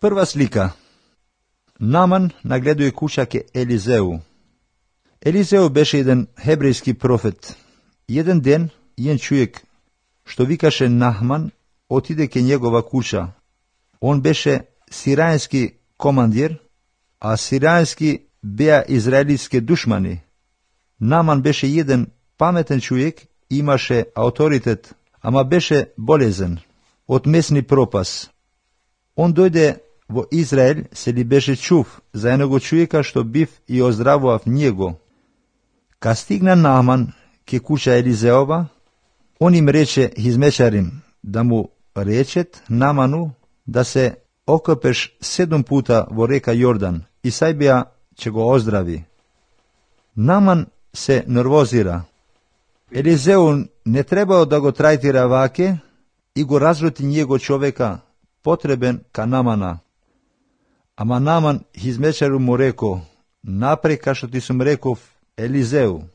Прва слика. Наман нагледува куќа ке Елизеу. Елизеу беше еден хебрејски профет. Еден ден, еден човек, што викаше Нахман, отиде ке негова куќа. Он беше сирајански командир, а сирајански беа израелитски душмани. Наман беше еден паметен човек, имаше авторитет, ама беше болезен од месни пропас. Он дојде во Израел, се ли беше чув за едного човека што бив и оздравував него. Ка стигна Нааман ке куќа Елизеова, он им рече хизмечарим да му речет Нааману да се окопеш 7 пута во река Јордан и сајбија ќе го оздрави. Нааман се нервозира. Елизеу не требао да го трајтира ваке и го разлути него човека потребен ка Наамана. Ама Нааман хизмечару му реко, напре ка што ти сум реков Елизеу.